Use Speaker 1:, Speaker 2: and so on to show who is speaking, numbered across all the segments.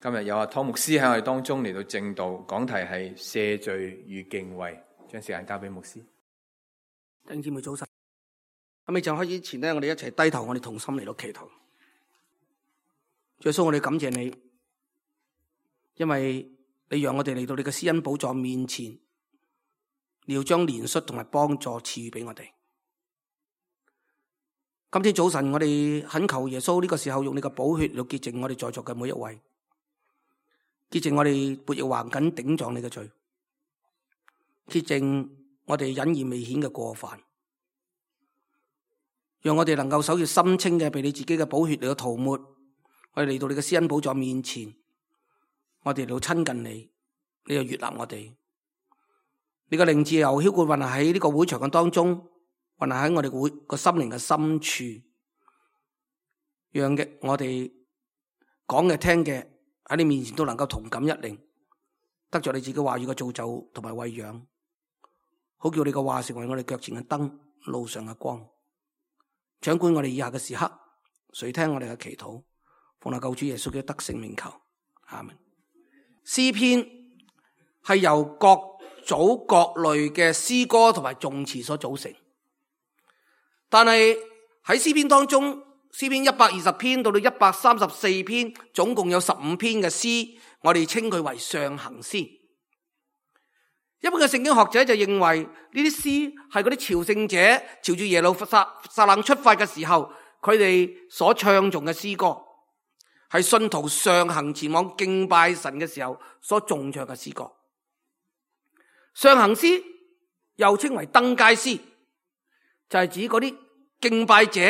Speaker 1: 今日有阿湯牧師喺我哋當中嚟到證道，講題係赦罪與敬畏，將時間交俾牧師。
Speaker 2: 弟兄姊妹早晨，喺未就開始前呢，我哋一齊低頭，我哋同心嚟到祈禱。主耶穌，我哋感謝你，因為你讓我哋嚟到你嘅施恩寶座面前，你要將憐恤同埋幫助賜予俾我哋。今天早晨，我哋懇求耶穌呢個時候用你嘅寶血嚟潔淨我哋在座嘅每一位。潔淨我哋悖逆橫緊頂撞你嘅罪，潔淨我哋隱而未顯嘅過犯，讓我哋能夠守住心清嘅，被你自己嘅寶血嚟到塗抹。我哋嚟到你嘅施恩寶座面前，我哋嚟到親近你，你又悅納我哋。你嘅靈自由澆灌運行喺呢個會場嘅當中，運行喺我哋會個心靈嘅深處，讓嘅我哋講嘅聽嘅喺你面前都能夠同感一靈，得着你自己話語嘅造就同埋餵養，好叫你嘅話成為我哋腳前嘅燈，路上嘅光。掌管我哋以下嘅時刻，垂聽我哋嘅祈禱，奉我救主耶穌嘅得勝名求，阿們。詩篇係由各組各類嘅詩歌同埋頌詞所組成，但係喺詩篇當中，詩篇120篇到134篇，總共有15篇嘅詩，我哋稱佢為上行詩。一般嘅聖經學者就認為呢啲詩係嗰啲朝聖者朝住耶路撒冷出發嘅時候，佢哋所唱頌嘅詩歌，係信徒上行前往敬拜神嘅時候所頌唱嘅詩歌。上行詩又稱為登階詩，就係指嗰啲敬拜者，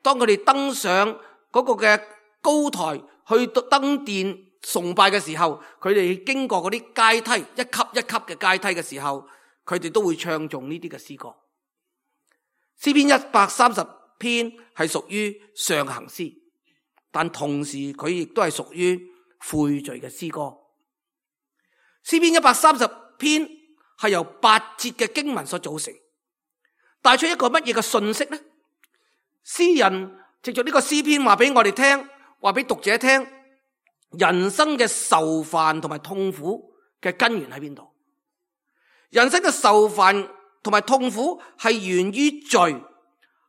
Speaker 2: 當佢哋登上嗰個嘅高台去登殿崇拜嘅時候，佢哋經過嗰啲階梯，一級一級嘅階梯嘅時候，佢哋都會唱頌呢啲嘅詩歌。詩篇130篇係屬於上行詩，但同時佢亦都係屬於悔罪嘅詩歌。詩篇130篇係由8節嘅經文所組成，帶出一個乜嘢嘅信息呢？詩人藉着呢個詩篇話俾我哋聽，話俾讀者聽，人生嘅愁煩同埋痛苦嘅根源喺邊度？人生嘅愁煩同埋痛苦係源於罪，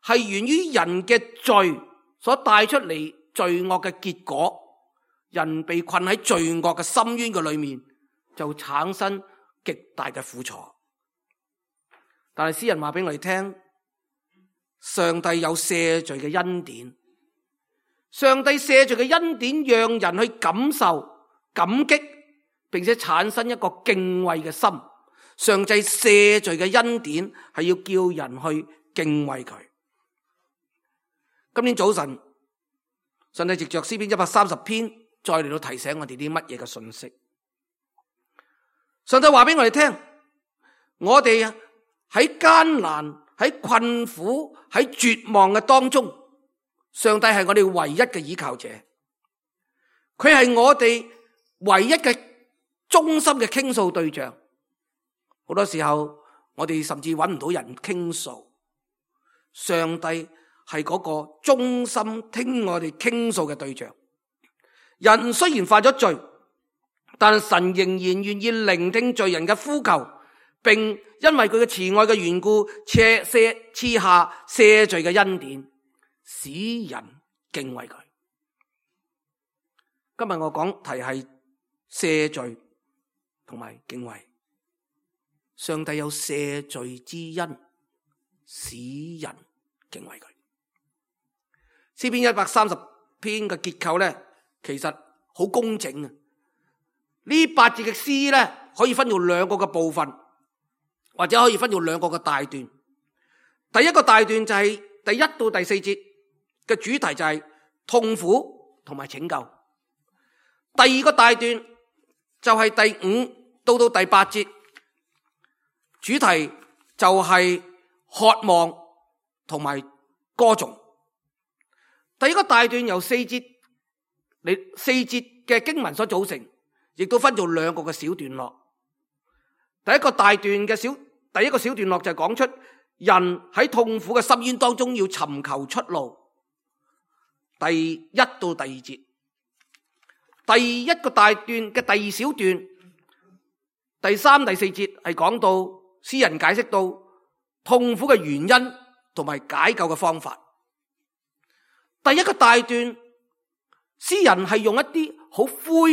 Speaker 2: 係源於人嘅罪所帶出嚟罪惡嘅結果。人被困喺罪惡嘅深淵嘅裏面，就產生極大嘅苦楚。但係詩人話俾我哋聽，上帝有赦罪嘅恩典，上帝赦罪嘅恩典讓人去感受感激，並且產生一個敬畏嘅心。上帝赦罪嘅恩典係要叫人去敬畏佢。今天早晨，上帝藉着詩篇130篇再嚟到提醒我哋啲乜嘢嘅信息。上帝話俾我哋聽，我哋喺艱難、喺困苦、喺絕望嘅當中，上帝係我哋唯一嘅依靠者，佢係我哋唯一嘅忠心嘅傾訴對象。好多時候我哋甚至揾唔到人傾訴，上帝係嗰個忠心聽我哋傾訴嘅對象。人雖然犯咗罪，但神仍然願意聆聽罪人嘅呼求，並因為佢嘅慈愛嘅緣故，賜下赦罪嘅恩典，使人敬畏佢。今日我講題係赦罪同埋敬畏。上帝有赦罪之恩，使人敬畏佢。詩篇130篇嘅結構咧，其實好工整啊！呢8節嘅詩咧，可以分做2個嘅部分，或者可以分做2個嘅大段。第一個大段就係第1到第4節嘅主題，就係痛苦同埋拯救。第二個大段就係第5到第8節，主題就係渴望同埋歌頌。第一個大段由4節嘅經文所組成，亦都分做2個嘅小段落。第一個小段落就係講出人喺痛苦嘅深淵當中要尋求出路，第1到第2節。第一個大段嘅第二小段，第三、第四節係講到詩人解釋到痛苦嘅原因同埋解救嘅方法。第一個大段，詩人係用一啲好灰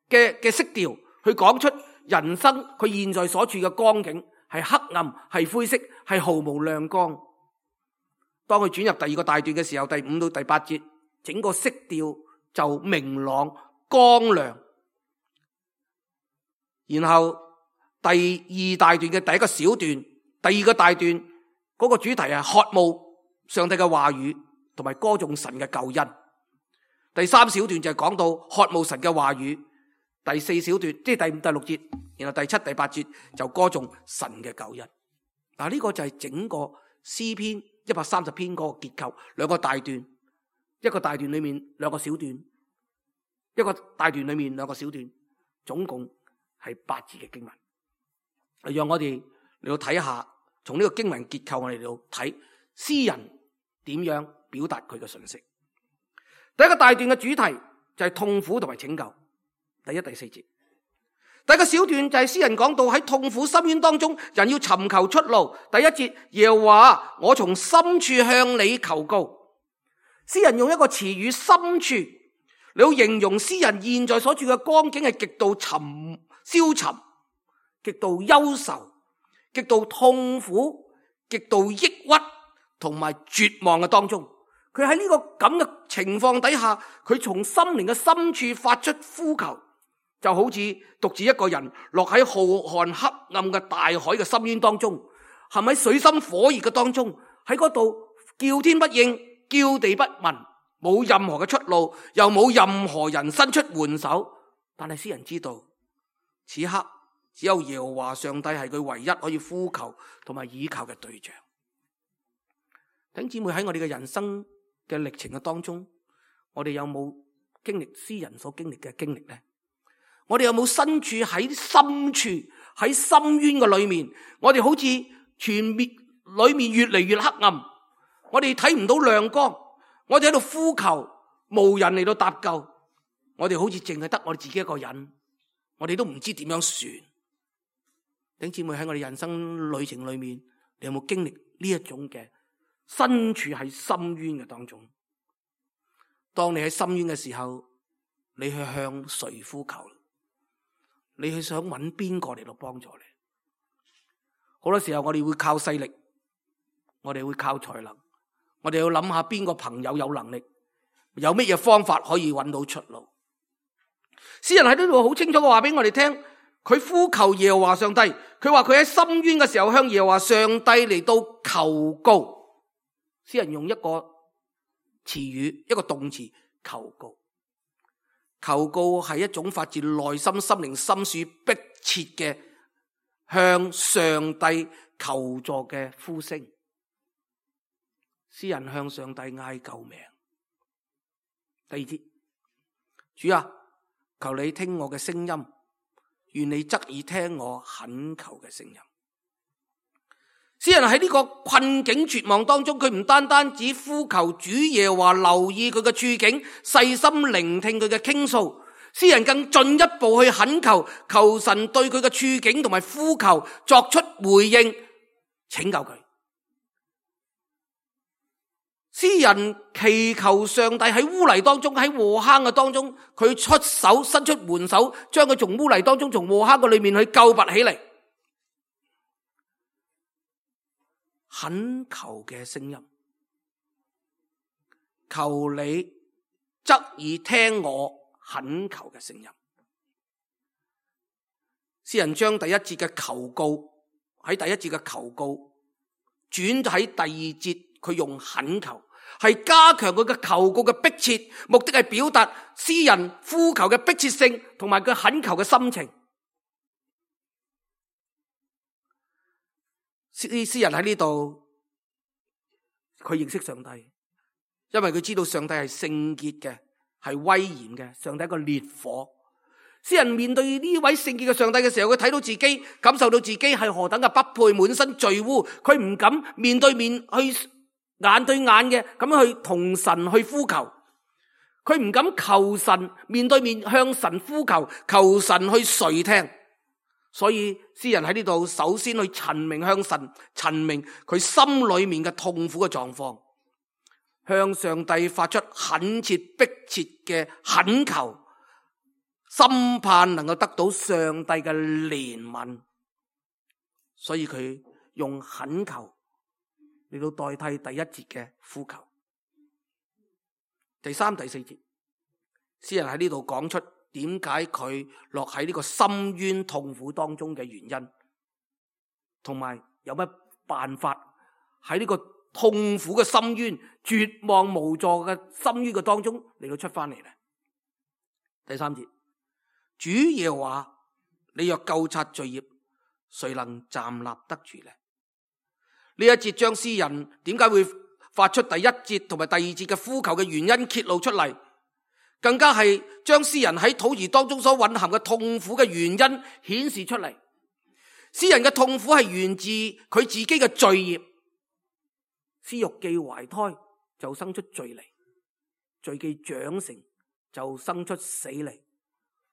Speaker 2: 嘅色調去講出人生佢現在所處嘅光景係黑暗、係灰色、係毫無亮光。當佢轉入第二個大段嘅時候，第5到第8節，整個色調就明朗光亮。然後第二大段嘅第一個小段，第二個大段嗰個主題係渴慕上帝嘅話語同埋歌頌神嘅救恩。第三小段就係講到渴慕神嘅話語。第四小段即係第5、第6節，然後第7、第8節就歌頌神嘅救恩。嗱，呢個就係整個詩篇130篇嗰個結構，兩個大段，一個大段裏面兩個小段，一個大段裏面兩個小段，總共係8節嘅經文。讓我哋嚟到睇下，從呢個經文結構我哋嚟到睇詩人點樣表達佢嘅信息。第一個大段嘅主題就係痛苦同埋拯救，第1、第4節。第一個小段就係詩人講到喺痛苦深淵當中，人要尋求出路。第1節，耶和華，我從深處向你求告。詩人用一個詞語深處嚟形容詩人現在所處嘅光景係極度消沉、極度憂愁、極度痛苦、極度抑鬱同埋絕望嘅當中。佢喺呢個咁嘅情況底下，佢從心靈嘅深處發出呼求，就好似獨自一個人落喺浩瀚黑暗嘅大海嘅深淵當中，陷喺水深火熱嘅當中，喺嗰度叫天不應，叫地不聞，冇任何嘅出路，又冇任何人伸出援手。但係詩人知道，此刻只有耶和華上帝係佢唯一可以呼求同埋倚靠嘅對象。弟兄姊妹，喺我哋嘅人生嘅歷程嘅當中，我哋有冇經歷詩人所經歷嘅經歷呢？我哋有冇身處喺深處喺深淵嘅裏面？我哋好似全面裏面越嚟越黑暗，我哋睇唔到亮光，我哋喺度呼求，無人嚟到搭救，我哋好似淨係得我哋自己一個人，我哋都唔知點樣算。弟兄姊妹，喺我哋人生旅程裏面，你有冇經歷呢一種嘅身處喺深淵嘅當中？當你喺深淵嘅時候，你去向誰呼求？你去想揾邊個嚟到幫助你？好多時候我哋會靠勢力，我哋會靠才能，我哋要諗下邊個朋友有能力，有乜嘢方法可以揾到出路。詩人喺呢度好清楚嘅話俾我哋聽，佢呼求耶和華上帝，佢話佢喺深淵嘅時候向耶和華上帝嚟到求告。詩人用一個詞語，一個動詞，求告。求告係一種發自內心心靈深處迫切嘅向上帝求助嘅呼聲。詩人向上帝嗌救命。第2節，主啊，求你聽我嘅聲音，願你側耳聽我懇求嘅聲音。詩人喺呢個困境絕望當中，佢唔單單只呼求主耶和華留意佢嘅處境，細心聆聽佢嘅傾訴，詩人更進一步去懇求，求神對佢嘅處境同埋呼求作出回應，拯救佢。詩人祈求上帝喺污泥當中，喺禍坑嘅當中，佢出手伸出援手，將佢從污泥當中，從禍坑嘅裏面去救拔起嚟。懇求嘅聲音，求你側耳聽我懇求嘅聲音。詩人將第1節嘅求告喺第1節嘅求告轉喺第2節，佢用懇求，係加強佢嘅求告嘅迫切，目的係表達詩人呼求嘅迫切性同埋佢懇求嘅心情。詩人喺呢度，佢認識上帝，因為佢知道上帝係聖潔嘅，係威嚴嘅，上帝係一個烈火。詩人面對呢位聖潔嘅上帝嘅時候，佢睇到自己，感受到自己係何等嘅不配，滿身罪污，佢唔敢面對面去眼對眼嘅咁樣去同神去呼求，佢唔敢求神面對面向神呼求，求神去垂聽。所以詩人喺呢度首先去陳明向神，陳明佢心裏面嘅痛苦嘅狀況，向上帝發出懇切迫切嘅懇求，心盼能夠得到上帝嘅憐憫。所以佢用懇求嚟到代替第一節嘅呼求。第三、第四節，詩人喺呢度講出點解佢落喺呢個深淵痛苦當中嘅原因，同埋有乜辦法喺呢個痛苦嘅深淵、絕望無助嘅深淵嘅當中嚟到出翻嚟咧。第三節，主耶和華，你若究察罪孽，誰能站立得住呢？呢一節將詩人點解會發出第一節同埋第二節嘅呼求嘅原因揭露出嚟，更加係將詩人喺禱詞當中所蘊含嘅痛苦嘅原因顯示出嚟。詩人嘅痛苦係源自佢自己嘅罪孽，屍肉既懷胎就生出罪嚟，罪既長成就生出死嚟，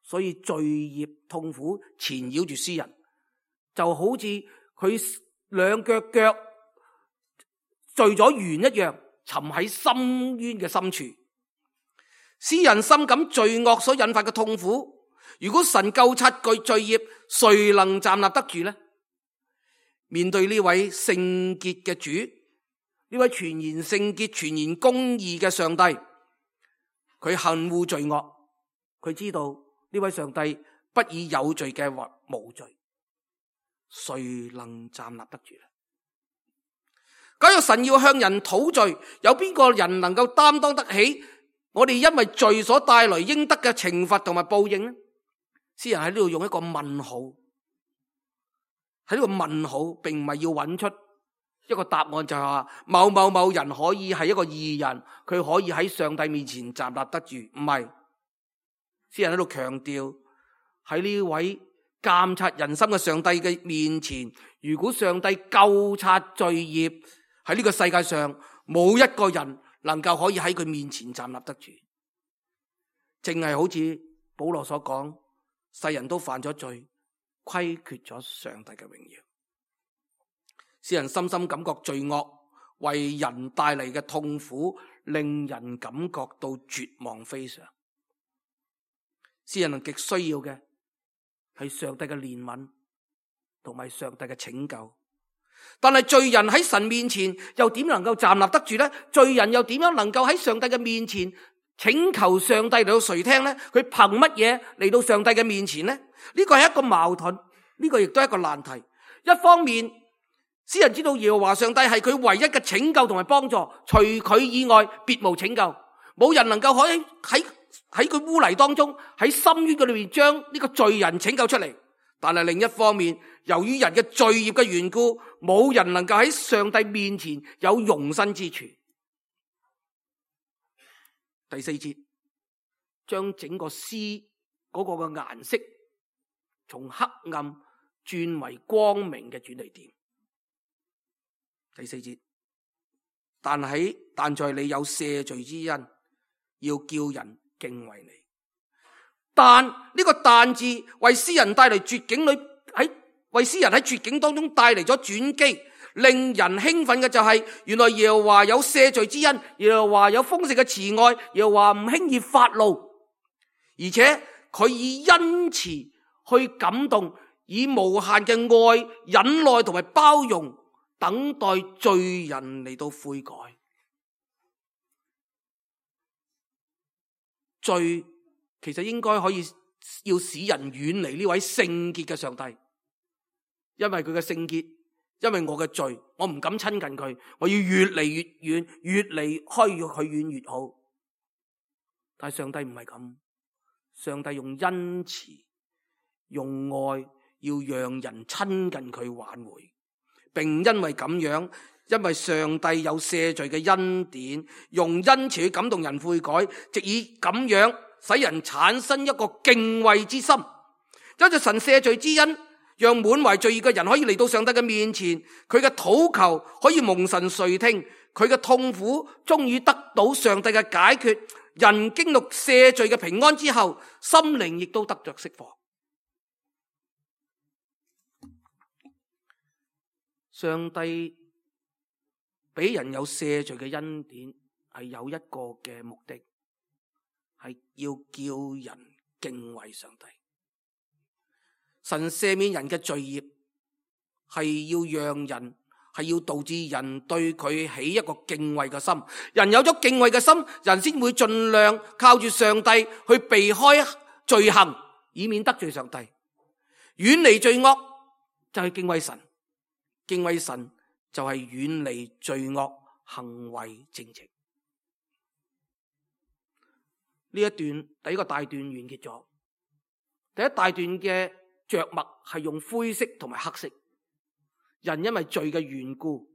Speaker 2: 所以罪孽痛苦纏繞住詩人，就好似佢兩腳聚咗緣一樣，沉喺深淵嘅深處。詩人深感罪惡所引發嘅痛苦，如果神究察罪孽，誰能站立得住呢？面對呢位聖潔嘅主，呢位全然聖潔、全然公義嘅上帝，佢恨惡罪惡，佢知道呢位上帝不以有罪嘅或無罪，誰能站立得住呢？假如神要向人討罪，有邊個人能夠擔當得起我哋因為罪所帶來應得嘅懲罰同埋報應呢？詩人喺呢度用一個問號，喺呢個問號並唔係要揾出一個答案，就係話某某某人可以係一個義人，佢可以喺上帝面前站立得住，唔係。詩人喺度強調，喺呢位監察人心嘅上帝嘅面前，如果上帝究察罪孽，喺呢個世界上冇一個人能夠可以喺佢面前站立得住。正係好似保羅所講，世人都犯咗罪，虧缺咗上帝嘅榮耀。詩人深深感覺罪惡為人帶嚟嘅痛苦，令人感覺到絕望非常。詩人極需要嘅係上帝嘅憐憫同埋上帝嘅拯救，但係罪人喺神面前又點能夠站立得住呢？罪人又點樣能夠喺上帝嘅面前請求上帝嚟到垂聽呢？佢憑乜嘢嚟到上帝嘅面前呢？呢個係一個矛盾，呢個亦都係一個難題。一方面，詩人知道耶和華上帝係佢唯一嘅拯救同埋幫助，除佢以外別無拯救，冇人能夠可以喺佢污泥當中，喺深淵嘅裏面將呢個罪人拯救出嚟。但係另一方面，由於人嘅罪孽嘅緣故，冇人能夠喺上帝面前有容身之處。第四節將整個詩嗰個嘅顏色從黑暗轉為光明嘅轉捩點。第四節，但在你有赦罪之恩，要叫人敬畏你。但呢個但字為詩人帶嚟絕境為詩人喺絕境當中帶嚟咗轉機，令人興奮嘅就係原來耶和華有赦罪之恩，耶和華有豐盛嘅慈愛，耶和華唔輕易發怒，而且佢以恩慈去感動，以無限嘅愛、忍耐同埋包容，等待罪人嚟到悔改。罪其實應該可以要使人遠離呢位聖潔嘅上帝，因為佢嘅聖潔，因為我嘅罪，我唔敢親近佢，我要越嚟越遠，越離開佢遠越好。但係上帝唔係咁，上帝用恩慈、用愛，要讓人親近佢挽回，並因為咁樣，因為上帝有赦罪嘅恩典，用恩慈去感動人悔改，藉以咁樣使人產生一個敬畏之心。因着神赦罪之恩，讓滿懷罪孽嘅人可以嚟到上帝嘅面前，佢嘅禱求可以蒙神垂聽，佢嘅痛苦終於得到上帝嘅解決，人經歷赦罪嘅平安之後，心靈亦都得着釋放。上帝俾人有赦罪嘅恩典，係有一個嘅目的，係要叫人敬畏上帝。神赦免人嘅罪孽，係要導致人對佢起一個敬畏嘅心。人有咗敬畏嘅心，人先會盡量靠住上帝去避開罪行，以免得罪上帝。遠離罪惡就係敬畏神，敬畏神就係遠離罪惡，行為正直。呢一段第一個大段完結咗。第一大段嘅着墨係用灰色同埋黑色。人因為罪嘅緣故，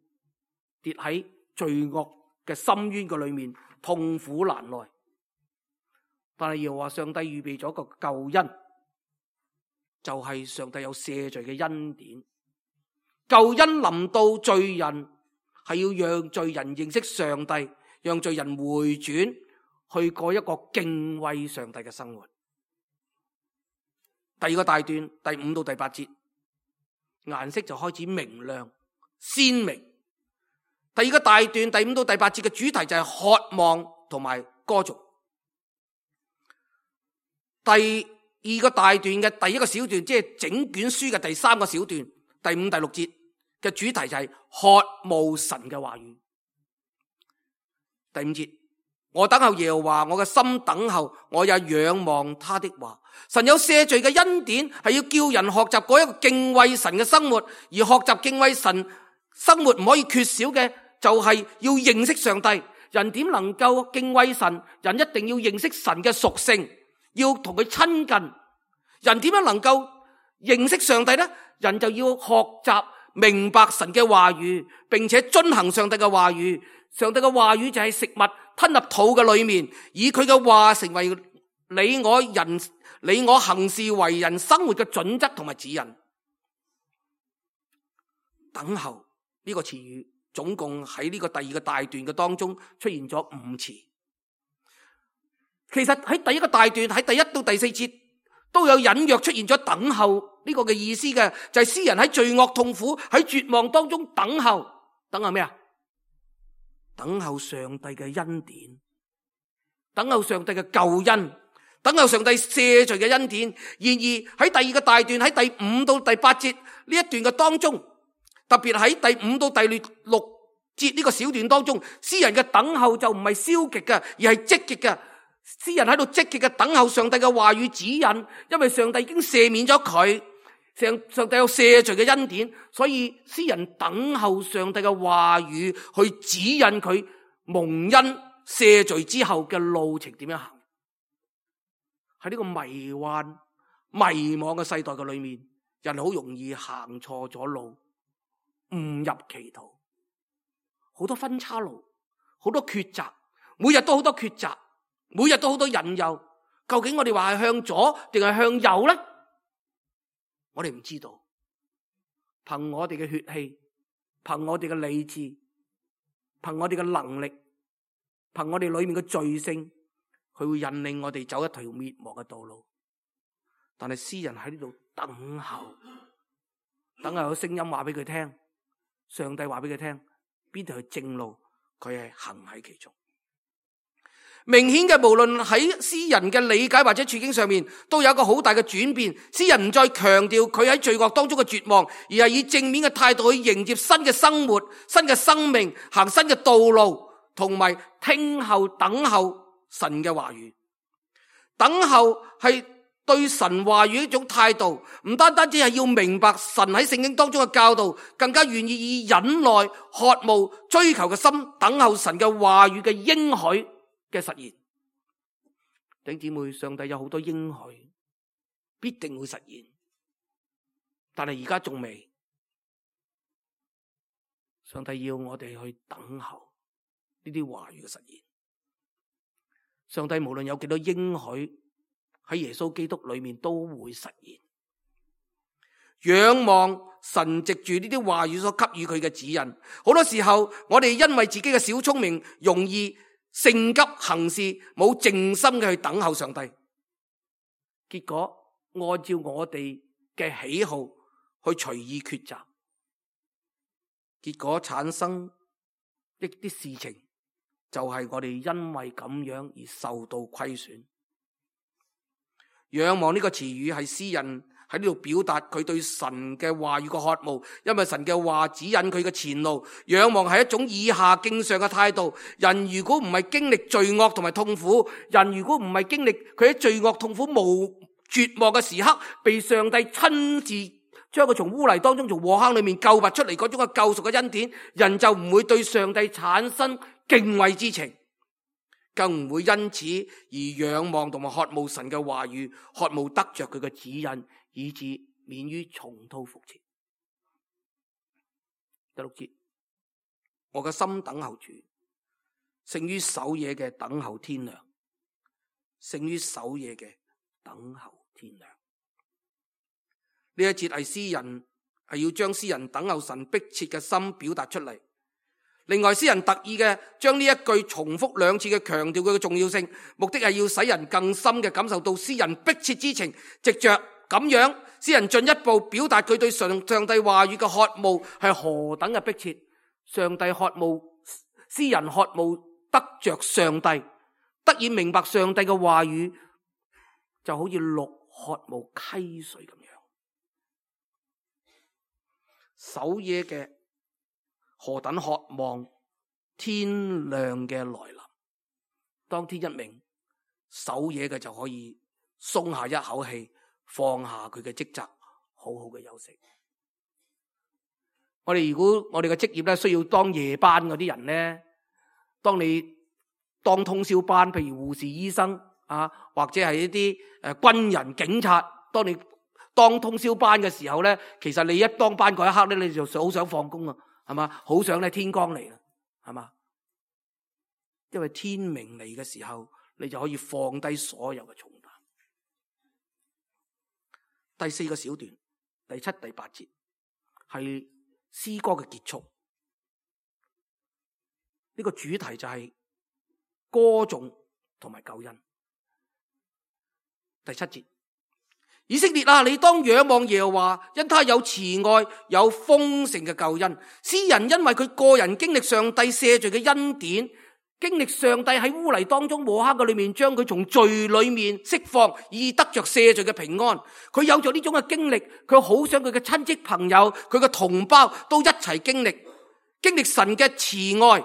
Speaker 2: 跌喺罪惡嘅深淵嘅裏面，痛苦難耐。但係又話上帝預備咗個救恩，就係上帝有赦罪嘅恩典。救恩臨到罪人，係要讓罪人認識上帝，讓罪人回轉，去過一個敬畏上帝嘅生活。第二個大段第5到第8節，顏色就開始明亮鮮明。第二個大段第5到第8節嘅主題就係渴望同埋歌頌。第二個大段嘅第一個小段，即係整卷書嘅第3個小段，第5、第6節嘅主題就係渴慕神嘅話語。第5節，我等候耶和華，我嘅心等候，我也仰望他的話。神有赦罪嘅恩典，係要叫人學習過一個敬畏神嘅生活。而學習敬畏神生活唔可以缺少嘅，就係要認識上帝。人點能夠敬畏神？人一定要認識神嘅屬性，要同佢親近。人點樣能夠認識上帝呢？人就要學習明白神嘅話語，並且遵行上帝嘅話語。上帝嘅話語就係食物吞入肚嘅裏面，以佢嘅話成為你我行事為人生活嘅準則同埋指引。等候呢個詞語總共喺呢個第二個大段嘅當中出現咗5次。其實喺第一個大段喺第1到第4節都有隱約出現咗等候呢個嘅意思嘅，就係詩人喺罪惡痛苦喺絕望當中等候。等候咩啊？等候上帝嘅恩典，等候上帝嘅救恩，等候上帝赦罪嘅恩典。然而喺第二個大段喺第5到第8節呢一段嘅當中，特別喺第5到第6節呢個小段當中，詩人嘅等候就唔係消極嘅，而係積極嘅。詩人喺度積極嘅等候上帝嘅話語指引，因為上帝已經赦免咗佢，上帝有赦罪嘅恩典，所以詩人等候上帝嘅話語去指引佢蒙恩赦罪之後嘅路程點樣行。喺呢個迷幻迷惘嘅世代嘅裏面，人好容易行錯咗路，誤入歧途，好多分岔路，好多抉擇，每日都好多抉擇，每日都好多引誘。究竟我哋話係向左定係向右呢？我哋唔知道。憑我哋嘅血氣，憑我哋嘅理智，憑我哋嘅能力，憑我哋裏面嘅罪性，佢會引領我哋走一條滅亡嘅道路。但係詩人喺呢度等候，等候有聲音話俾佢聽，上帝話俾佢聽邊條係正路，佢係行喺其中。明顯嘅，無論喺詩人嘅理解或者處境上面，都有一個好大嘅轉變。詩人唔再強調佢喺罪惡當中嘅絕望，而係以正面嘅態度去迎接新嘅生活、新嘅生命，行新嘅道路，同埋聽候等候神嘅話語。等候係對神話語一種態度，唔單單只係要明白神喺聖經當中嘅教導，更加願意以忍耐、渴慕、追求嘅心等候神嘅話語嘅應許嘅實現。弟兄姊妹，上帝有好多應許必定會實現，但係而家仲未。上帝要我哋去等候呢啲話語嘅實現。上帝無論有幾多應許喺耶穌基督裏面都會實現。仰望神藉住呢啲話語所給予佢嘅指引。好多時候我哋因為自己嘅小聰明，容易性急行事，冇靜心嘅去等候上帝，結果按照我哋嘅喜好去隨意抉擇，結果產生一啲事情，就係我哋因為咁樣而受到虧損。仰望呢個詞語係詩人喺呢度表達佢對神嘅話語嘅渴慕，因為神嘅話指引佢嘅前路。仰望係一種以下敬上嘅態度。人如果唔係經歷罪惡同埋痛苦，人如果唔係經歷佢喺罪惡痛苦無絕望嘅時刻，被上帝親自將佢從污泥當中從禍坑裏面救拔出嚟嗰種嘅救贖嘅恩典，人就唔會對上帝產生敬畏之情，更唔會因此而仰望同埋渴慕神嘅話語，渴慕得着佢嘅指引，以致免於重蹈覆轍。第6節，我嘅心等候主，勝於守夜嘅等候天亮，勝於守夜嘅等候天亮。呢一節係詩人係要將詩人等候神迫切嘅心表達出嚟。另外，詩人特意嘅將呢一句重複2次嘅強調佢嘅重要性，目的係要使人更深嘅感受到詩人迫切之情。藉着咁樣，詩人進一步表達佢對上帝話語嘅渴慕係何等嘅迫切。上帝渴慕，詩人渴慕得着上帝，得以明白上帝嘅話語，就好似鹿渴慕溪水咁樣。守夜嘅何等渴望天亮嘅來臨，當天一明，守夜嘅就可以鬆下一口氣，放下佢嘅職責，好好嘅休息。如果我哋嘅職業咧需要當夜班嗰啲人咧，當你當通宵班，譬如護士、醫生啊，或者係一啲軍人、警察，當你當通宵班嘅時候咧，其實你一當班嗰一刻咧，你就好想放工啊，係嘛？好想咧天光嚟啦，係嘛？因為天明嚟嘅時候，你就可以放低所有嘅重擔。第4個小段，第7、第8節係詩歌嘅結束。呢個主題就係歌頌同埋救恩。第7節。以色列啊，你當仰望耶和華，因他有慈愛，有豐盛嘅救恩。詩人因為佢個人經歷上帝赦罪嘅恩典，經歷上帝喺污泥當中禍坑嘅裏面將佢從罪裏面釋放，以得着赦罪嘅平安。佢有咗呢種嘅經歷，佢好想佢嘅親戚朋友、佢嘅同胞都一齊經歷神嘅慈愛。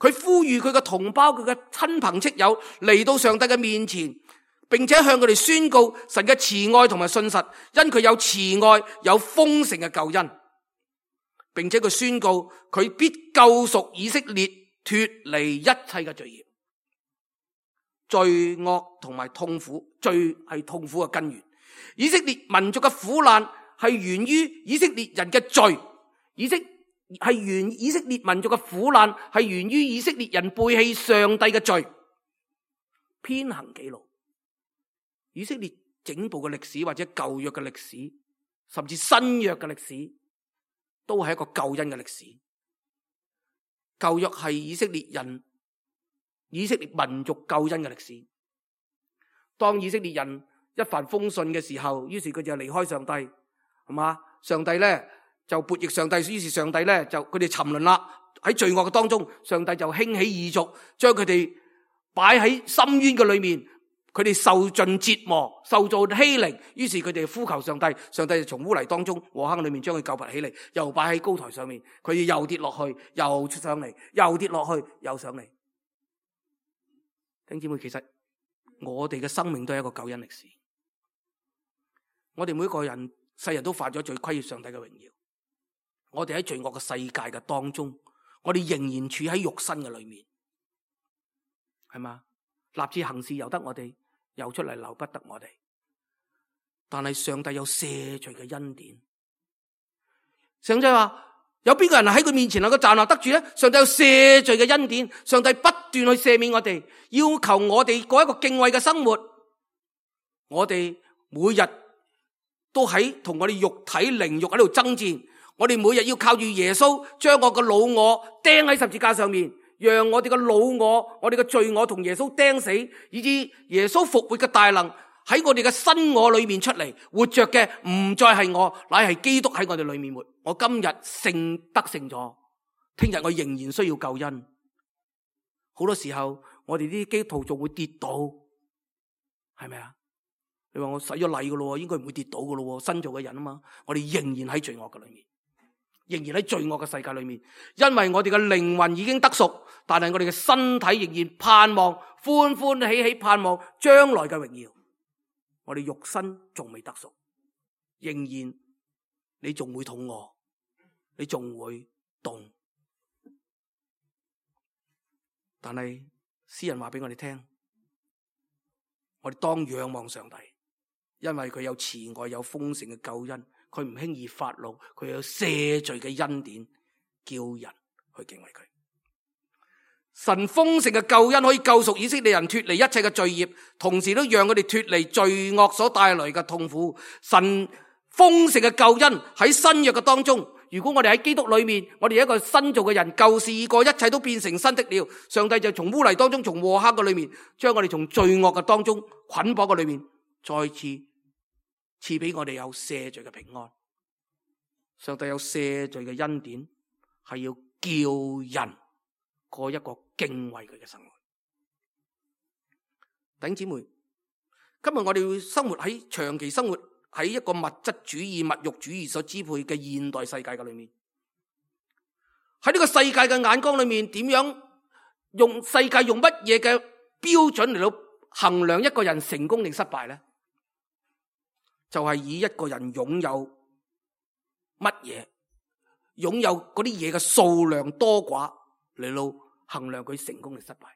Speaker 2: 佢呼籲佢嘅同胞、佢嘅親朋戚友嚟到上帝嘅面前，並且向佢哋宣告神嘅慈愛同埋信實，因佢有慈愛，有豐盛嘅救恩，並且佢宣告佢必救贖以色列脫離一切嘅罪孽。罪惡同埋痛苦，罪係痛苦嘅根源。以色列民族嘅苦難係源於以色列人嘅罪，以色列民族嘅苦難係源於以色列人背棄上帝嘅罪，偏行己路。以色列整部嘅歷史，或者舊約嘅歷史，甚至新約嘅歷史，都係一個救恩嘅歷史。舊約係以色列民族救恩嘅歷史。當以色列人一帆風順嘅時候，於是佢就離開上帝，係嘛？上帝咧就悖逆上帝，於是上帝咧就佢哋沉淪啦。喺罪惡嘅當中，上帝就興起異族，將佢哋擺喺深淵嘅裏面。佢哋受盡折磨，受到欺凌，於是佢哋呼求上帝，上帝就從污泥當中禍坑裏面將佢救拔起嚟，又擺喺高台上面，佢哋又跌落去，又出上嚟，又跌落去，又上嚟。弟兄姊妹，其實我哋嘅生命都係一個救恩歷史。我哋每一個人世人都犯咗罪，虧欠上帝嘅榮耀。我哋喺罪惡嘅世界嘅當中，我哋仍然處喺肉身嘅裏面，係嘛？立志行事由得我哋，游出嚟留不得我哋。但係上帝有赦罪嘅恩典。上帝話：有邊個人喺佢面前能夠站立得住咧？上帝有赦罪嘅恩典，上帝不斷去赦免我哋，要求我哋過一個敬畏嘅生活。我哋每日都喺同我哋肉體靈慾喺度爭戰。我哋每日要靠住耶穌將我嘅老我釘喺十字架上面，讓我哋嘅老我、我哋嘅罪我同耶穌釘死，以致耶穌復活嘅大能喺我哋嘅新我裏面出嚟，活着嘅唔再係我，乃係基督喺我哋裏面活。我今日得勝咗，聽日我仍然需要救恩。好多時候我哋啲基督徒仲會跌倒，係咪啊？你話我洗咗禮噶咯，應該唔會跌倒噶咯，新造嘅人啊嘛。我哋仍然喺罪惡嘅裏面，仍然喺罪惡嘅世界裏面，因為我哋嘅靈魂已經得贖，但係我哋嘅身體仍然盼望歡歡喜喜盼望將來嘅榮耀。我哋肉身仲未得贖，仍然你仲會肚餓，你仲會凍。但係詩人話俾我哋聽，我哋當仰望上帝，因為佢有慈愛，有豐盛嘅救恩，佢唔輕易發怒，佢有赦罪嘅恩典，叫人去敬畏佢。神豐盛嘅救恩可以救贖以色列人脫離一切嘅罪孽，同時都讓佢哋脫離罪惡所帶來嘅痛苦。神豐盛嘅救恩喺新約嘅當中，如果我哋喺基督裏面，我哋一個新造嘅人，舊事已過，一切都變成新的了。上帝就從污泥當中，從禍黑嘅裏面，將我哋從罪惡嘅當中捆綁嘅裏面，再次賜俾我哋有赦罪嘅平安。上帝有赦罪嘅恩典，係要叫人過一個敬畏佢嘅生活。弟兄姊妹，今日我哋要生活喺長期生活喺一個物質主義、物欲主義所支配嘅現代世界嘅裏面，喺呢個世界嘅眼光裏面，點樣用世界用乜嘢嘅標準嚟到衡量一個人成功定失敗呢？就係以一個人擁有乜嘢，擁有嗰啲嘢嘅數量多寡嚟到衡量佢成功定失敗。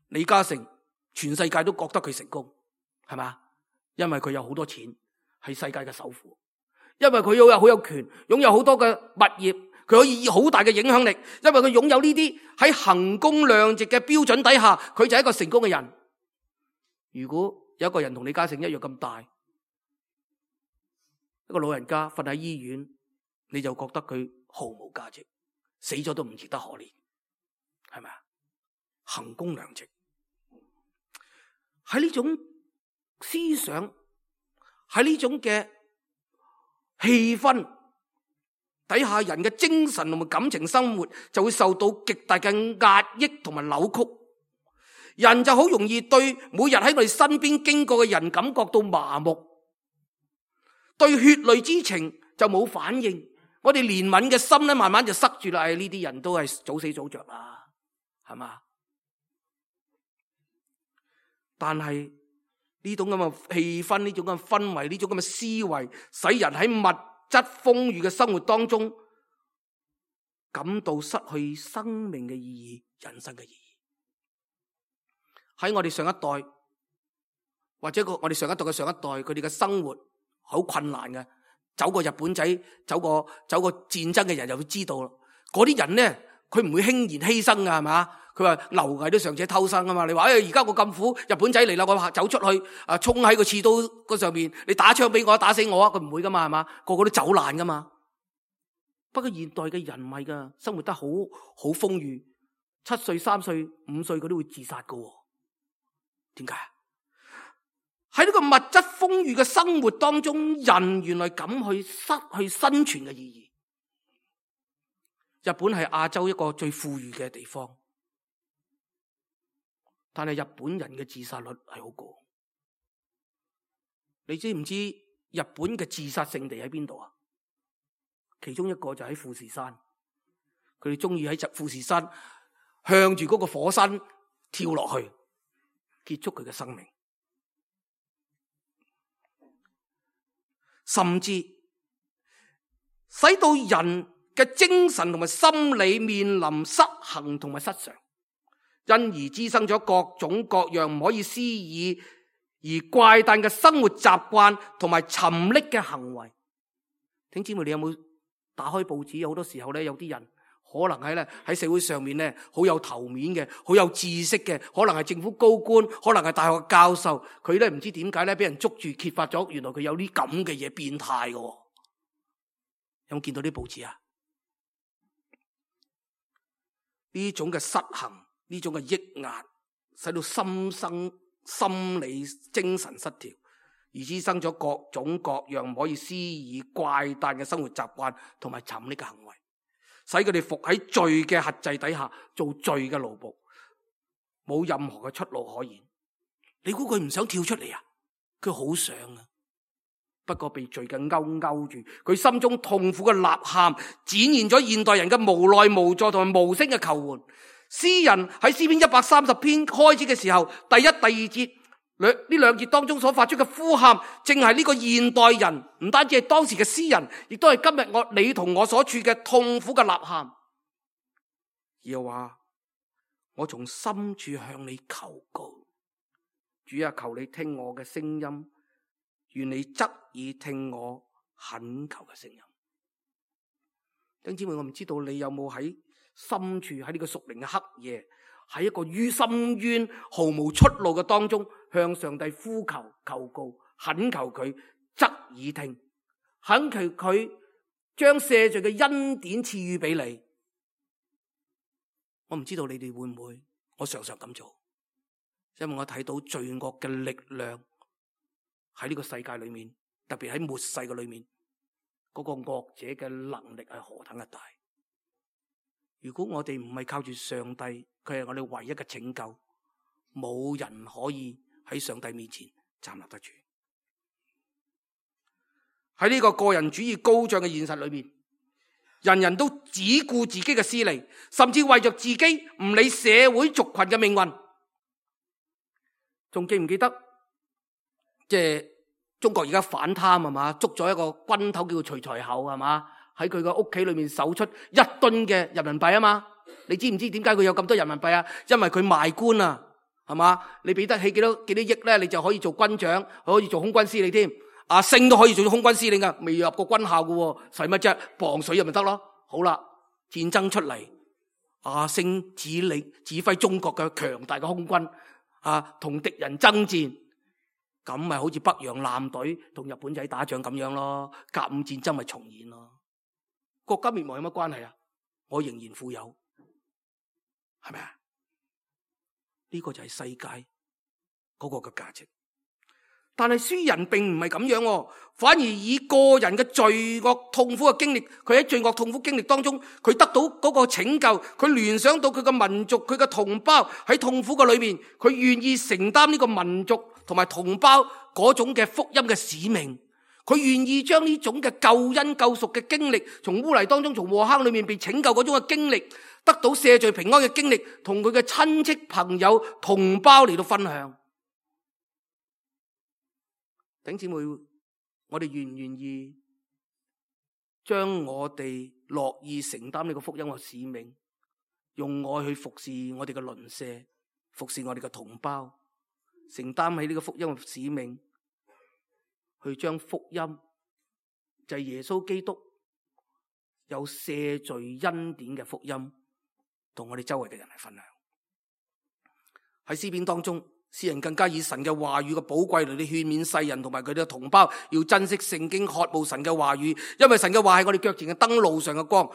Speaker 2: 李嘉誠全世界都覺得佢成功，係嘛？因為佢有好多錢，係世界嘅首富；因為佢好有權，擁有好多嘅物業，佢可以以好大嘅影響力。因為佢擁有呢啲喺衡工量值嘅標準底下，佢就係一個成功嘅人。如果有一個人同李嘉誠一樣咁大，一個老人家瞓喺醫院，你就覺得佢毫無價值，死咗都唔值得可憐，係咪啊？衡工量值喺呢種思想，喺呢種嘅氣氛底下，人嘅精神同埋感情生活就會受到極大嘅壓抑同埋扭曲，人就好容易對每日喺我哋身邊經過嘅人感覺到麻木，對血淚之情就冇反應，我哋憐憫嘅心咧慢慢就塞住啦。呢啲人都係早死早着啦，係嘛？但係呢種咁嘅氣氛，呢種咁嘅氛圍，呢種咁嘅思維，使人喺物質豐裕嘅生活當中感到失去生命嘅意義，人生嘅意義。喺我哋上一代，或者我哋上一代嘅上一代，佢哋嘅生活好困難嘅。走過日本仔，走過戰爭嘅人就會知道啦。嗰啲人咧，佢唔會輕言犧牲噶，係嘛？佢話螻蟻都尚且偷生啊嘛。你話而家我咁苦，日本仔嚟啦，我走出去衝喺個刺刀嗰上面，你打槍俾我，打死我啊！佢唔會噶嘛，係嘛？個個都走難噶嘛。不過現代嘅人唔係噶，生活得好豐裕，7歲、3歲、5歲佢都會自殺噶。點解？喺呢個物質豐裕嘅生活當中，人原來咁去失去生存嘅意義。日本係亞洲一個最富裕嘅地方，但係日本人嘅自殺率係好高。你知唔知日本嘅自殺聖地喺邊度啊？其中一個就喺富士山，佢哋中意喺富士山向住嗰個火山跳落去，結束佢嘅生命。甚至使到人嘅精神同埋心理面臨失衡同埋失常，因而滋生咗各種各樣唔可以思議而怪誕嘅生活習慣同埋沉溺嘅行為。聽姊妹，你有冇打開報紙？有好多時候咧，有啲人可能喺社會上面咧好有頭面嘅，好有知識嘅，可能係政府高官，可能係大學教授，佢咧唔知點解咧俾人捉住揭發咗，原來佢有啲咁嘅嘢，變態嘅。有冇見到啲報紙啊？呢種嘅失衡，呢種嘅抑壓，使到心生心理精神失調，而滋生咗各種各樣唔可以思議怪誕嘅生活習慣同埋沉溺嘅行為，使佢哋伏喺罪嘅轄制底下做罪嘅奴僕，冇任何嘅出路可言。你估佢唔想跳出嚟啊？佢好想啊，不過被罪嘅勾住，佢心中痛苦嘅吶喊，展現咗現代人嘅無奈無助同埋無聲嘅求援。詩人喺詩篇130篇開始嘅時候，第一、第二節呢兩節當中所發出嘅呼喊，正係呢個現代人，唔單止係當時嘅詩人，亦都係今日你同我所處嘅痛苦嘅吶喊。又話我從深處向你求告，主啊，求你聽我嘅聲音，願你側耳聽我懇求嘅聲音。弟兄姊妹，我唔知道你有冇喺深處，喺呢個屬靈嘅黑夜，喺一個深淵毫無出路嘅當中，向上帝呼求求告，懇求佢側耳聽，懇求佢將赦罪嘅恩典賜予俾你。我唔知道你哋會唔會，我常常咁做，因為我睇到罪惡嘅力量喺呢個世界裏面，特別喺末世嘅裏面，嗰個惡者嘅能力係何等嘅大。如果我哋唔係靠住上帝，佢係我哋唯一嘅拯救，冇人可以喺上帝面前站立得住。喺呢個個人主義高漲嘅現實裏面，人人都只顧自己嘅私利，甚至為着自己唔理社會族群嘅命運。仲記唔記得即係中國而家反貪係嘛？捉咗一個軍頭叫徐才厚係嘛？喺佢個屋企裏面搜出1噸嘅人民幣啊嘛！你知唔知點解佢有咁多人民幣啊？因為佢賣官啊，係嘛？你俾得起幾多億咧，你就可以做軍長，可以做空軍司令添。阿星都可以做空軍司令噶，未入過軍校噶，使乜啫？磅水咪得咯。好啦，戰爭出嚟，阿星指揮中國嘅強大嘅空軍啊，同敵人爭戰，咁咪好似北洋艦隊同日本仔打仗咁樣咯。甲午戰爭咪重演咯。國家滅亡有乜關係啊？我仍然富有，係咪啊？呢個就係世界嗰個嘅價值。但係詩人並唔係咁樣，反而以個人嘅罪惡痛苦嘅經歷，佢喺罪惡痛苦經歷當中，佢得到嗰個拯救，佢聯想到佢嘅民族，佢嘅同胞喺痛苦嘅裏面，佢願意承擔呢個民族同埋同胞嗰種嘅福音嘅使命。佢願意將呢種嘅救恩救贖嘅經歷，從污泥當中，從禍坑裏面被拯救嗰種嘅經歷，得到赦罪平安嘅經歷，同佢嘅親戚朋友同胞嚟到分享。弟兄姊妹，我哋願唔願意將我哋樂意承擔呢個福音嘅使命，用愛去服侍我哋嘅鄰舍，服侍我哋嘅同胞，承擔起呢個福音嘅使命，去將福音就係耶穌基督有赦罪恩典嘅福音，同我哋周圍嘅人嚟分享。喺詩篇當中，詩人更加以神嘅話語嘅寶貴嚟勸勉世人同埋佢哋嘅同胞，要珍惜聖經，渴慕神嘅話語，因為神嘅話係我哋腳前嘅燈，路上嘅光。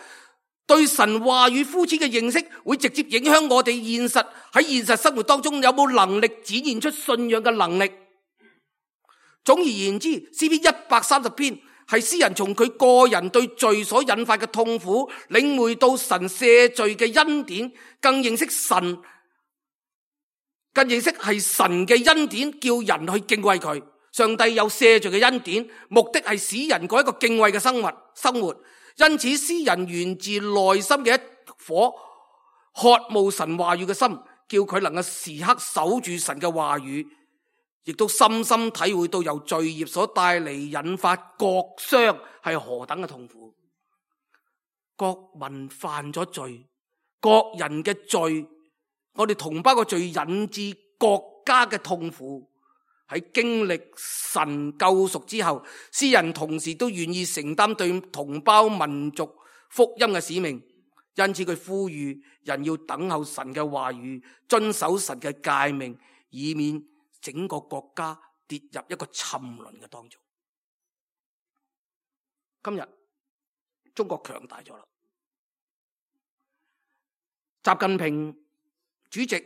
Speaker 2: 對神話語膚淺嘅認識，會直接影響我哋喺現實生活當中有冇能力展現出信仰嘅能力。總而言之，詩篇130篇係詩人從佢個人對罪所引發嘅痛苦，領會到神赦罪嘅恩典，更認識係神嘅恩典，叫人去敬畏佢。上帝有赦罪嘅恩典，目的係使人過一個敬畏嘅生活。因此，詩人源自內心嘅一顆渴慕神話語嘅心，叫佢能夠時刻守住神嘅話語。亦都深深體會到由罪孽所帶嚟引發國傷係何等嘅痛苦。國民犯咗罪，國人嘅罪，我哋同胞嘅罪引致國家嘅痛苦。喺經歷神救贖之後，詩人同時都願意承擔對同胞民族福音嘅使命。因此佢呼籲人要等候神嘅話語，遵守神嘅誡命，以免整個國家跌入一個沉淪嘅當中。今日中國強大咗啦，習近平主席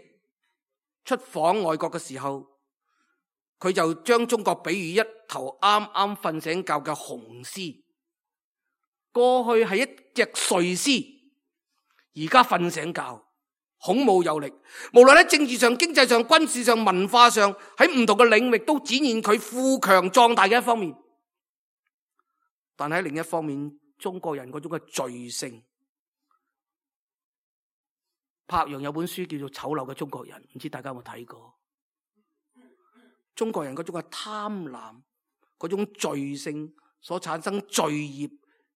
Speaker 2: 出訪外國嘅時候，佢就將中國比喻一頭啱啱瞓醒覺嘅雄獅，過去係一隻睡獅，而家瞓醒覺，孔武有力，無論喺政治上、經濟上、軍事上、文化上，喺唔同嘅領域都展現佢富強壯大嘅一方面。但喺另一方面，中國人嗰種嘅罪性，柏楊有本書叫做《醜陋嘅中國人》，唔知大家有冇睇過？中國人嗰種嘅貪婪，嗰種罪性所產生罪孽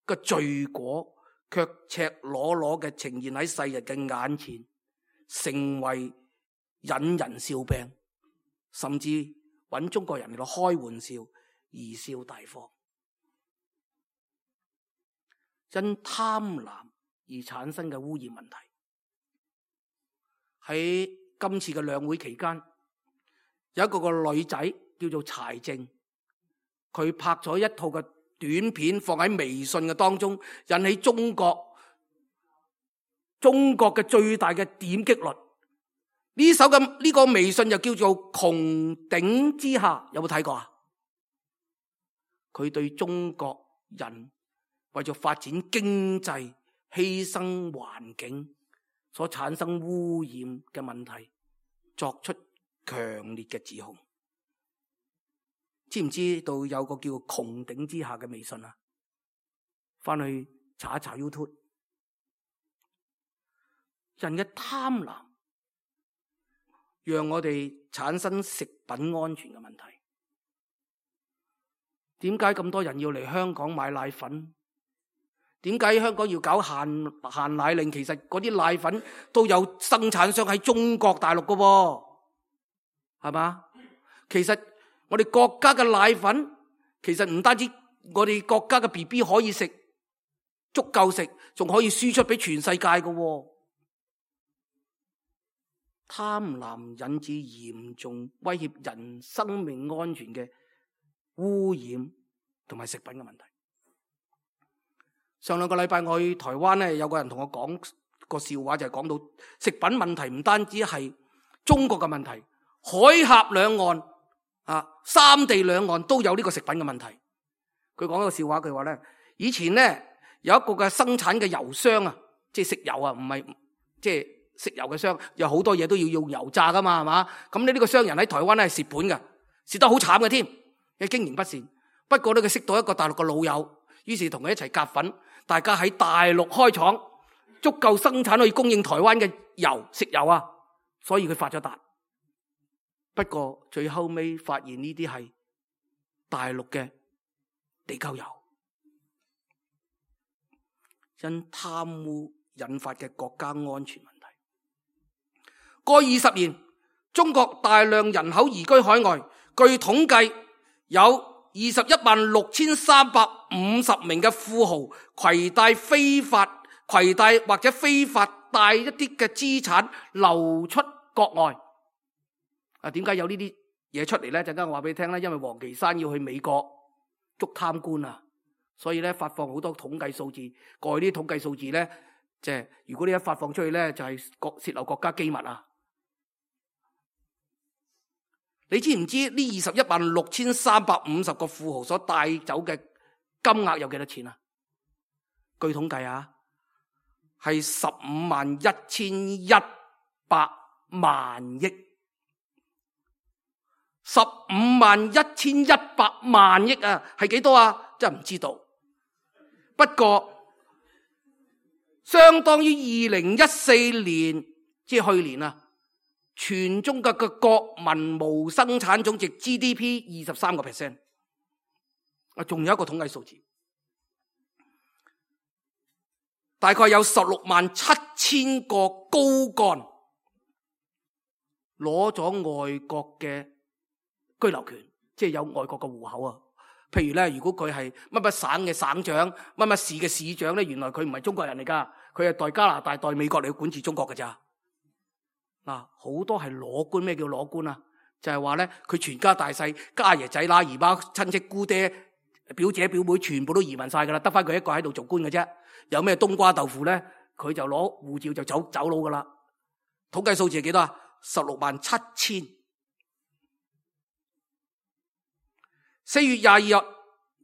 Speaker 2: 嘅罪果，卻赤裸裸嘅呈現喺世人嘅眼前，成為引人笑柄，甚至揾中國人嚟到開玩笑，貽笑大方。因貪婪而產生嘅污染問題，喺今次嘅兩會期間，有一個女仔叫做柴靜，佢拍咗一套嘅短片放喺微信嘅當中，引起中國嘅最大嘅點擊率。呢個微信就叫做《穹頂之下》，有冇睇過啊？佢對中國人為咗發展經濟、犧牲環境所產生污染嘅問題作出強烈嘅指控。知唔知道有個叫穹頂之下嘅微信啊？翻去查一查 YouTube。人嘅貪婪讓我哋產生食品安全嘅問題。點解咁多人要嚟香港買奶粉？點解香港要搞限奶令？其實嗰啲奶粉都有生產商喺中國大陸㗎，係嘛？其實我哋國家嘅奶粉，其實唔單止我哋國家嘅 BB 可以食，足夠食，仲可以輸出俾全世界㗎。貪婪引致嚴重威脅人生命安全嘅污染同埋食品嘅問題。上兩個禮拜我去台灣咧，有個人同我講個笑話，就係講到食品問題唔單止係中國嘅問題，海峽兩岸三地兩岸都有呢個食品嘅問題。佢講個笑話，佢話咧，以前咧有一個嘅生產嘅油商啊，即係食油啊，唔係即係食油嘅商，有好多嘢都要用油炸噶嘛，係嘛？咁呢個商人喺台灣咧係蝕本嘅，蝕得好慘嘅添，嘅經營不善。不過咧佢識到一個大陸嘅老友，於是同佢一齊夾份。大家喺大陸開廠，足夠生產可以供應台灣嘅食油啊，所以佢發咗達。不過最後尾發現呢啲係大陸嘅地溝油，因貪污引發嘅國家安全問題。過20年，中國大量人口移居海外，據統計有216350名嘅富豪攜帶或者非法帶一啲嘅資產流出國外。點解有呢啲嘢出嚟呢？陣間我話俾你聽啦，因為王岐山要去美國捉貪官啊，所以咧發放好多統計數字。過去啲統計數字呢，即係如果呢一發放出去呢，就係洩漏國家機密啊！你知唔知呢216350個富豪所帶走嘅金額有幾多錢啊？據統計啊，係151100萬億，151100萬億啊，係幾多啊？真係唔知道。不過相當於2014年，即係去年啊，全中國嘅國民無生產總值 GDP 23%。仲有一個統計數字，大概有167000個高幹攞咗外國嘅居留權，即係有外國嘅戶口啊。譬如咧，如果佢係乜乜省嘅省長、乜乜市嘅市長咧，原來佢唔係中國人嚟噶，佢係代加拿大、代美國嚟管治中國㗎咋。好多係裸官。咩叫裸官啊？就係話咧，佢全家大細、家爺仔乸、姨媽、親戚、姑爹、表姐、表妹，全部都移民晒噶啦，得翻佢一個喺度做官嘅啫。有咩冬瓜豆腐咧？佢就攞護照就走佬噶啦。統計數字係幾多啊？167000。4月22日，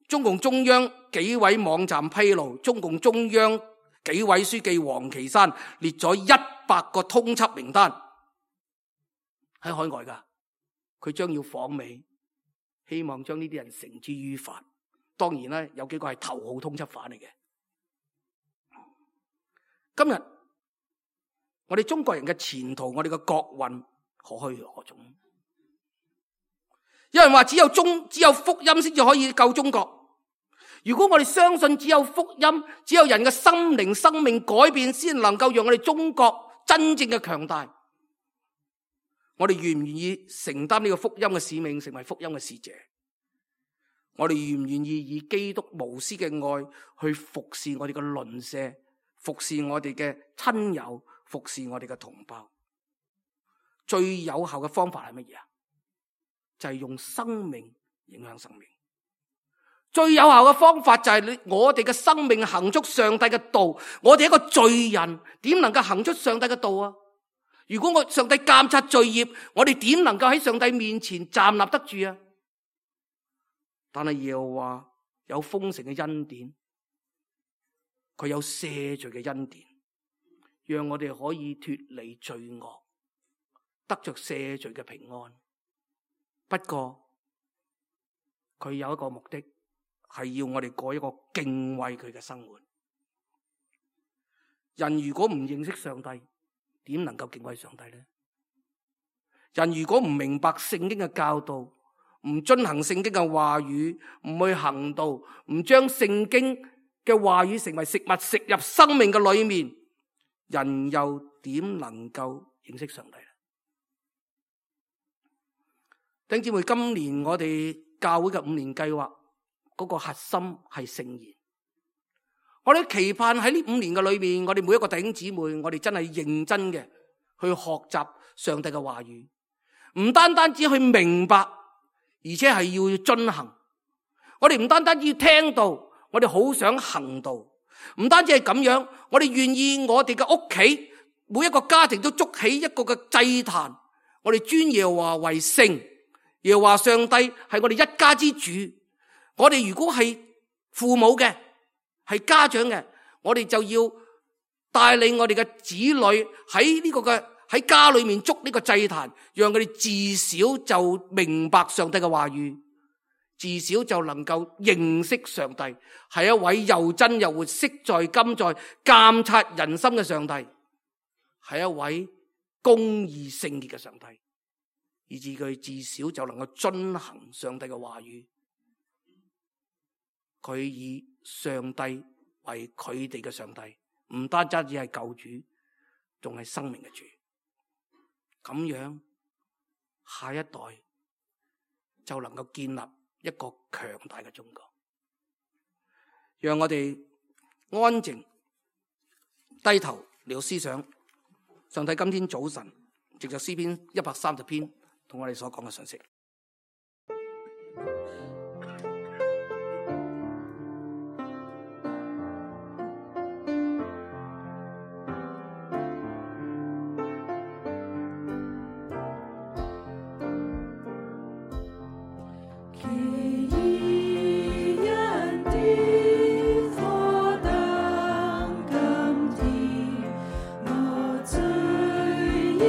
Speaker 2: 中共中央紀委網站披露，中共中央紀委書記王岐山列咗100個通緝名單喺海外噶，佢將要訪美，希望將呢啲人繩之於法。當然咧，有幾個係頭號通緝犯嚟嘅。今日我哋中國人嘅前途，我哋嘅國運何去何從？有人話只有福音先至可以救中國。如果我哋相信只有福音，只有人嘅心靈生命改變先能夠讓我哋中國真正嘅強大，我哋願唔願意承擔呢個福音嘅使命，成為福音嘅使者？我哋願唔願意以基督無私嘅愛去服侍我哋嘅鄰舍，服侍我哋嘅親友，服侍我哋嘅同胞？最有效嘅方法係乜嘢啊？就係用生命影響生命。最有效嘅方法就係我哋嘅生命行出上帝嘅道。我哋一個罪人點能夠行出上帝嘅道啊？如果上帝監察罪孽，我哋點能夠喺上帝面前站立得住啊？但係耶和華有豐盛嘅恩典，佢有赦罪嘅恩典，讓我哋可以脫離罪惡，得着赦罪嘅平安。不過佢有一個目的，係要我哋過一個敬畏佢嘅生活。人如果唔認識上帝，點能夠敬畏上帝呢？人如果唔明白聖經嘅教導，唔遵行聖經嘅話語，唔去行道，唔將聖經嘅話語成為食物食入生命嘅裏面，人又點能夠認識上帝呢？弟兄姊妹，今年我哋教會嘅5年計劃嗰個核心係聖言。我哋期盼喺呢5年嘅裏面，我哋每一個弟兄姊妹，我哋真係認真嘅去學習上帝嘅話語，唔單單只去明白，而且係要遵行。我哋唔單單要聽道，我哋好想行道。唔單止係咁樣，我哋願意我哋嘅屋企每一個家庭都築起一個嘅祭壇，我哋尊耶和華為聖。耶和華上帝係我哋一家之主。我哋如果係父母嘅，係家長嘅，我哋就要帶領我哋嘅子女喺呢個嘅喺家裏面築呢個祭壇，讓佢哋自小就明白上帝嘅話語，自小就能夠認識上帝係一位又真又活、昔在今在、監察人心嘅上帝，係一位公義聖潔嘅上帝，以致佢自小就能夠遵行上帝嘅話語。佢以上帝為佢哋嘅上帝，唔單止係救主，仲係生命嘅主。咁樣下一代就能夠建立一個強大嘅中國。讓我哋安靜低頭嚟思想上帝今天早晨藉着詩篇130篇同我哋所講嘅信息。
Speaker 3: 你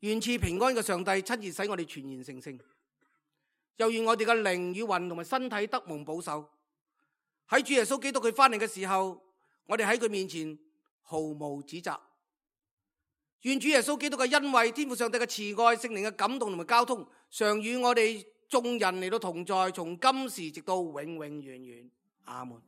Speaker 2: 願賜平安嘅上帝親自使我哋全然成聖，又願我哋嘅靈與魂同埋身體得蒙保守。喺主耶穌基督佢翻嚟嘅時候，我哋喺佢面前毫無指責。願主耶穌基督嘅恩惠、天父上帝嘅慈愛、聖靈嘅感動同埋交通，常與我哋眾人嚟到同在，從今時直到永永遠遠。阿門。